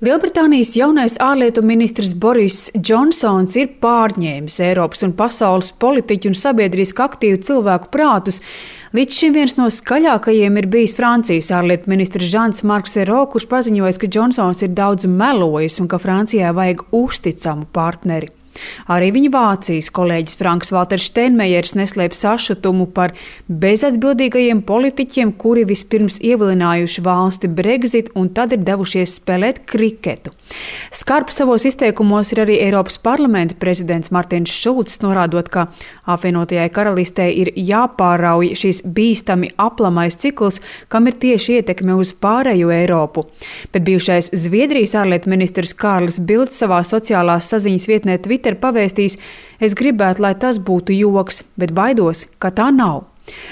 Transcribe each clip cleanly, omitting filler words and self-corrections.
Lielbritānijas jaunais ārlietu ministrs Boris Džonsons ir pārņēmis Eiropas un pasaules politiķu un sabiedriski aktīvu cilvēku prātus. Līdz šim viens no skaļākajiem ir bijis Francijas ārlietu ministrs Jean-Marc Ayrault, kurš paziņojis, ka Džonsons ir daudz melojis un ka Francijai vajag uzticamu partneri. Arī viņa Vācijas kolēģis Franks Valters Steinmeiers neslēpj sašutumu par bezatbildīgajiem politiķiem, kuri vispirms ievilinājuši valsti Brexit un tad ir devušies spēlēt kriketu. Skarbs savos izteikumos ir arī Eiropas parlamenta prezidents Martins Šulcs, norādot, ka apvienotajai karalistei ir jāpārauj šis bīstami aplamais cikls, kam ir tieši ietekme uz pārējo Eiropu. Bet bijušais Zviedrijas ārlietu ministrs Kārlis Bilds savā sociālās saziņas vietnē Twitter pavēstīs: "Es gribētu, lai tas būtu joks, bet baidos, ka tā nav."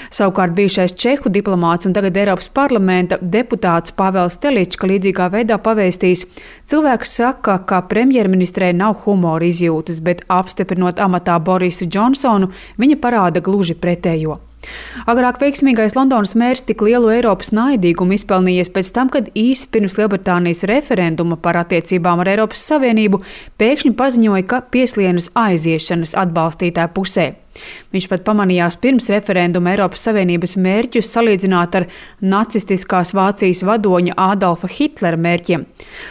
Savukārt bijušais čehu diplomāts un tagad Eiropas parlamenta deputāts Pāvels Telička līdzīgā veidā pavēstīs: "Cilvēks saka, ka premjerministrei nav humora izjūtas, bet apstiprinot amatā Borisu Džonsonu, viņa parāda gluži pretējo." Agrāk veiksmīgais Londonas mērs tik lielu Eiropas naidīgumu izpelnījies pēc tam, kad īsi pirms Lielbritānijas referenduma par attiecībām ar Eiropas Savienību pēkšņi paziņoja, ka pieslienas aiziešanas atbalstītāju pusē. Viņš pat pamanījās pirms referenduma Eiropas Savienības mērķus salīdzināt ar nacistiskās Vācijas vadoņa Ādolfa Hitlera mērķiem.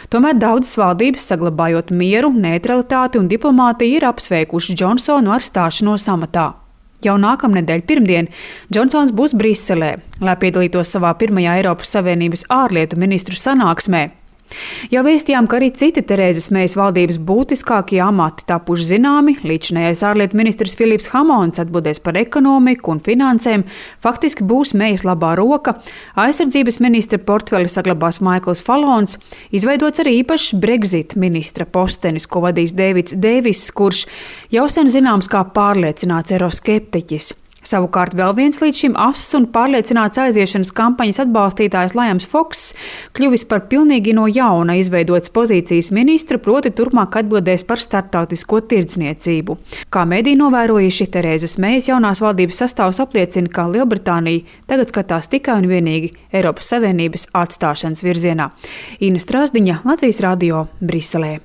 Tomēr daudzas valdības, saglabājot mieru, neutralitāti un diplomātiju, ir apsveikuši Džonsonu ar stāšanos amatā. Jau nākamnedēļ pirmdien Džonsons būs Briselē, lai piedalītos savā pirmajā Eiropas Savienības ārlietu ministru sanāksmē. Jau vēstījām, ka arī citi Terēzes Mejas valdības būtiskākie amati tapuši zināmi. Līdzinājais ārlietu ministrs Filips Hamons atbildēs par ekonomiku un finansēm, faktiski būs Mejas labā roka. Aizsardzības ministra portfeli saglabās Maikls Falons. Izveidots arī īpašs Brexit ministra postenis, ko vadīs Deivids Deiviss, kurš jau sen zināms kā pārliecināts eiroskeptiķis. Savukārt vēl viens līdz šim ass un pārliecināts aiziešanas kampaņas atbalstītājs Liams Fokss kļuvis par pilnīgi no jauna izveidotas pozīcijas ministru, proti turpmāk atbildēs par starptautisko tirdzniecību. Kā mediji novērojuši, Terēzes Mejas jaunās valdības sastāvs apliecina, ka Lielbritānija tagad skatās tikai un vienīgi Eiropas Savienības atstāšanas virzienā. Ina Strāzdiņa, Latvijas radio, Briselē.